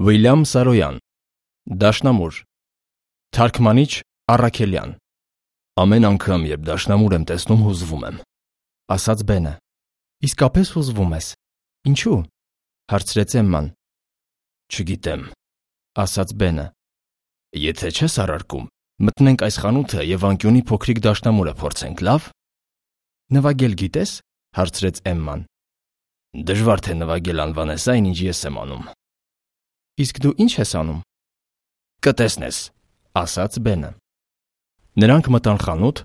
Վիլյամ Սարոյան, Դաշնամուր, Թարգմանիչ Առաքելյան։ Ամեն անգամ, երբ դաշնամուր եմ տեսնում, հուզվում եմ, ասաց Բենը։ Իսկապես հուզվում ես։ Ինչու՞, հարցրեց Էմման։ Չգիտեմ, ասաց Բենը։ Եթե չես առարկում, մտնենք այս խանութը եւ անկյունի փոքրիկ դաշնամուրը փորձենք, լավ։ Նվագել գիտես, հարցրեց Էմման։ Դժվար թե նվագել անվանես այն, ինչ ես եմ անում։ Իսկ դու ինչ ես անում։ Կտեսնես, ասաց Բենը։ Նրանք մտան խանութ,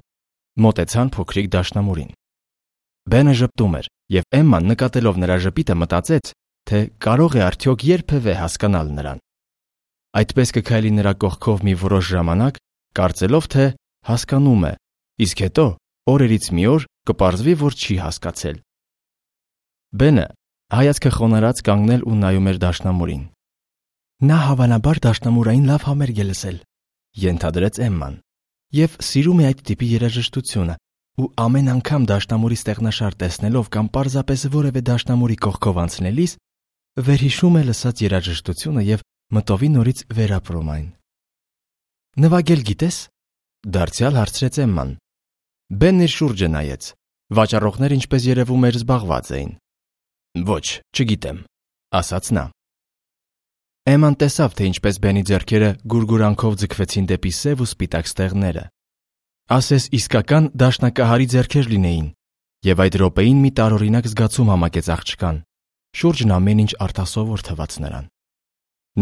մոտեցան փոքրիկ դաշնամուրին։ Բենը ժպտում էր, եւ Էմման նկատելով նրա ժպիտը մտածեց, թե կարող է արդյոք երբևէ հասկանալ նրան։ Այդպես կքայլի նրա կողքով մի որոշ ժամանակ, կարծելով, թե հասկանում է, իսկ հետո օրերից մի օր կպարզվի, որ չի հասկացել։ Բենը հայացքը խոնարհած կանգնել ու նայում էր դաշնամուրին։ Նա հավանաբար դաշնամուրային լավ համերգ է լսել, ենթադրեց Էմման, եւ սիրում է այդ տիպի երաժշտությունը, ու ամեն անգամ դաշնամուրի ստեղնաշար տեսնելով կամ պարզապես որևէ դաշնամուրի կողքով անցնելիս վերհիշում է լսած երաժշտությունը եւ մտովի նորից վերապրում այն։ Նվագել գիտես, դարձյալ հարցրեց Էմման։ Բենն իր շուրջը նայեց։ Վաճառողները, ինչպես երևում էր, զբաղված էին։ Ոչ, չգիտեմ, ասաց նա։ Էմման տեսավ, թե ինչպես Բենի ձեռքերը գուրգուրանքով ձգվեցին դեպի սև ու սպիտակ ստեղները։ Ասես իսկական դաշնակահարի ձեռքեր լինեին, եւ այդ րոպեին մի տարօրինակ զգացում համակեց աղջկան։ Շուրջն ամեն ինչ արտասովոր թվաց նրան։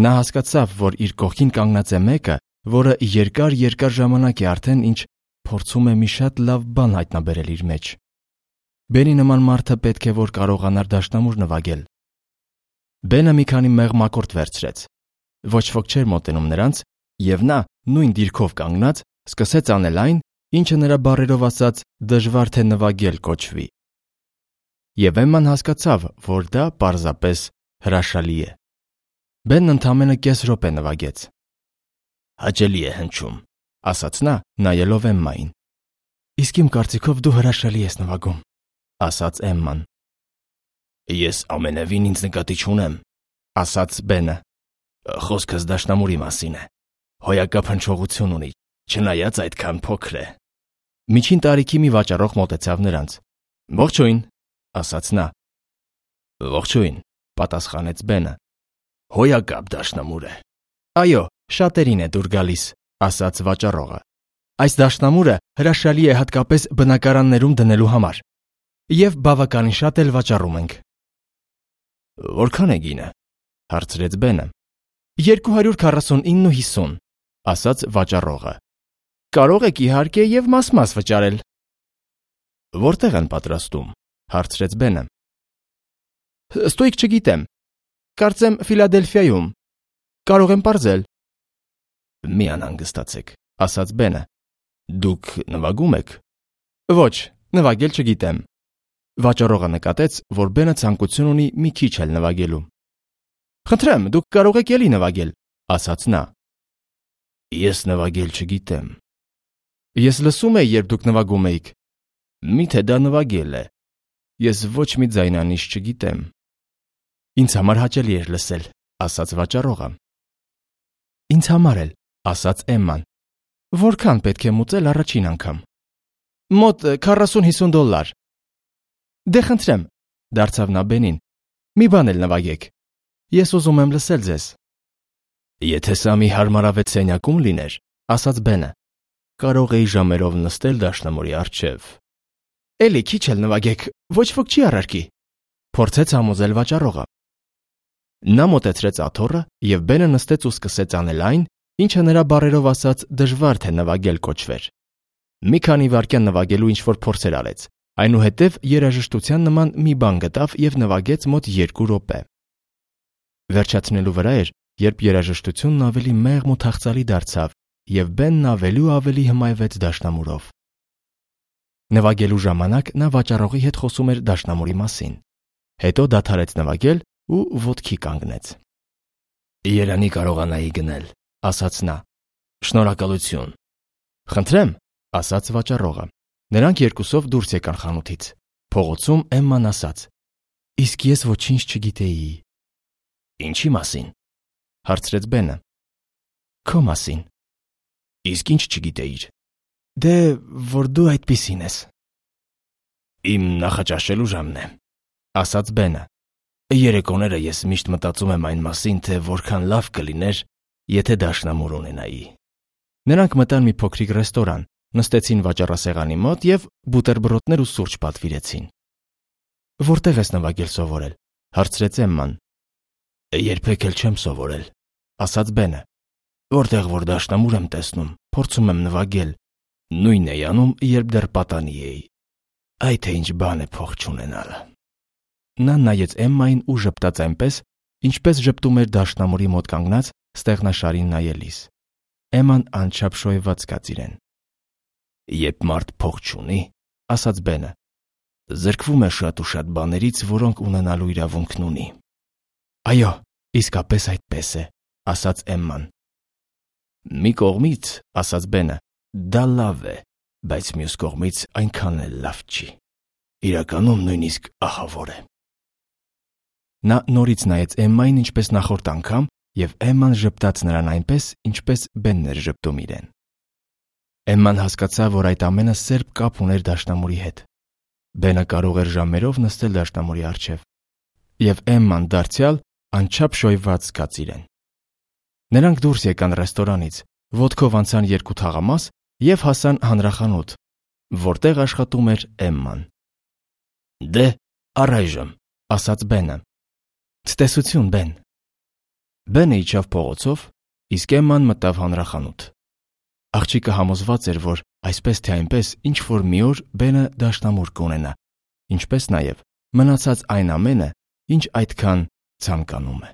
Նա հասկացավ, որ իր կողքին կանգնած է մեկը, որը երկար ժամանակ է արդեն ինչ փորձում է մի շատ լավ բան հայտնաբերել իր մեջ։ Բենի նման մարդը պետք է որ կարողանար դաշնամուր նվագել։ Բենը մի քանի մեղմակորդ վերցրեց։ Ոչ ոք չէր մոտենում նրանց, եւ նա, նույն դիրքով կանգնած, սկսեց անել այն, ինչը նրա բառերով ասած դժվար թե նվագել կոչվի։ Եվ Էմման հասկացավ, որ դա պարզապես հրաշալի է։ Բենն ընդամենը կես րոպե նվագեց։ Հաճելի է հնչում, ասաց նա, նայելով Էմմային։ Իսկ իմ կարծիքով դու հրաշալի ես նվագում, ասաց Էմման։ Ես ամենևին ինձ նկատի չունեմ, ասաց Բենը։ Խոսքս դաշնամուրի մասին է։ Հոյակապ հնչողություն ունի, չնայած այդքան փոքր է։ Միջին տարիքի մի վաճառող մոտեցավ նրանց։ Ողջույն, ասաց նա։ Ողջույն, պատասխանեց Բենը։ Հոյակապ դաշնամուր է։ Այո, շատերին է դուր գալիս, ասաց վաճառողը։ Այս դաշնամուրը հրաշալի է հատկապես բնակարաններում դնելու համար։ Եվ բավականին շատ էլ վաճառում ենք։ Որքան է գինը, հարցրեց Բենը։ 249.50, ասաց վաճառողը։ Կարող եք իհարկե եւ մաս-մաս վճարել։ Որտեղ են պատրաստում, հարցրեց Բենը։ Ստույգ չգիտեմ։ Կարծեմ Ֆիլադելֆիայում։ Կարող եմ պարզել։ Մի անհանգստացեք, ասաց Բենը։ Դուք նվագում եք։ Ոչ, նվագել չգիտեմ։ Վաճառողը նկատեց, որ Բենը ցանկություն ունի մի քիչ էլ նվագելու։ Խնդրեմ, դուք կարող եք ելի նվագել, ասաց նա։ Ես նվագել չգիտեմ։ Ես լսում էի, երբ դուք նվագում էիք։ Միթե դա նվագել է։ Ես ոչ մի ձայնանիշ չգիտեմ։ Ինձ համար հաճելի էր լսել, ասաց վաճառողը։ Ինձ համար էլ, ասաց Էմման։ Որքան պետք է մուծել առաջին անգամ։ Մոտ 40-50 դոլար։ Դե խնդրեմ, դարձավ նա Բենին։ Մի բան էլ նվագեք։ Ես ուզում եմ լսել ձեզ։ Եթե սա մի հարմարավետ սենյակում լիներ, ասաց Բենը, կարող էի ժամերով նստել դաշնամուրի առջև։ Էլի քիչ էլ նվագեք, ոչ ոք չի առարկի, փորձեց համոզել վաճառողը։ Նա մոտեցրեց աթոռը, եւ Բենը նստեց ու սկսեց անել այն, ինչը նրա բառերով ասած դժվար թե նվագել կոչվեր։ Մի քանի վայրկյան նվագելու ինչ-որ փորձեր արեց, այնուհետև երաժշտության նման մի բան գտավ եւ նվագեց մոտ 2 րոպե։ Վերջացնելու վրա էր, երբ երաժշտությունն ավելի մեղմ ու թախծալի դարձավ, եւ Բենն ավելի ու ավելի հմայվեց դաշնամուրով։ Նվագելու ժամանակ նա վաճառողի հետ խոսում էր դաշնամուրի մասին։ Հետո դադարեց նվագել ու ոտքի կանգնեց։ Երանի կարողանայի գնել, ասաց նա։ Շնորհակալություն։ Խնդրեմ, ասաց վաճառողը։ Նրանք երկուսով դուրս եկան խանութից։ Փողոցում Էմման ասաց. Իսկ ես ոչինչ չգիտեի։ Ինչի մասին։ հարցրեց Բենը։ Քո մասին։ Իսկ ինչ չգիտեիր։ Դե, որ դու այդպիսին ես։ Իմ նախաճաշելու ժամն է, ասաց Բենը։ Երեկոները ես միշտ մտածում եմ այն մասին, թե որքան լավ կլիներ, եթե դաշնամուր ունենայի։ Նրանք մտան մի փոքրիկ ռեստորան, նստեցին վաճառասեղանի մոտ և բուտերբրոդներ ու սուրճ պատվիրեցին։ Որտե՞ղ ես նվագել սովորել, հարցրեց Էմման։ Երբեք էլ չեմ սովորել, ասաց Բենը։ Որտեղ որ դաշնամուր եմ տեսնում, փորձում եմ նվագել, նույնն էի անում, երբ դեռ պատանի էի։ Այ թե ինչ բան է փող չունենալ։ Նա նայեց Էմմային ու ժպտաց այնպես, ինչպես ժպտում էր դաշնամուրի մոտ կանգնած ստեղնաշարին նայելիս։ Էմման անչափ շոյված կաց իրեն։ Երբ մարդ փող չունի, ասաց Բենը, զրկվում է շատ ու շատ բաներից, որոնք ունենալու իրավունքն ունի։ Այո, իսկապես այդպես է, ասաց Էմման։ Մի կողմից, ասաց Բենը, դա լավ է, բայց մյուս կողմից այնքան էլ լավ չի։ Իրականում նույնիսկ ահավոր է։ Նա նորից նայեց Էմմային ինչպես նախորդ անգամ, և Էմման ժպտաց նրան այնպես, ինչպես Բենն էր ժպտում իրեն։ Էմման հասկացավ, որ այդ ամենը սերտ կապ ուներ դաշնամուրի հետ։ Բենը կարող էր ժամերով նստել դաշնամուրի առջև, և Էմման դարձյալ անչափ շոյված զգաց իրեն։ Նրանք դուրս եկան ռեստորանից, ոտքով անցան 2 թաղամաս և հասան հանրախանութ, որտեղ աշխատում էր Էմման։ Դե, առայժմ, ասաց Բենը։ Ցտեսություն, Բեն։ Բենը իջավ փողոցով, իսկ Էմման մտավ հանրախանութ։ Աղջիկը համոզված էր, որ այսպես թե այնպես ինչ-որ մի օր Բենը դաշնամուր կունենա, ինչպես նաև մնացած այն ամենը, ինչ այդքան ցանկանում է։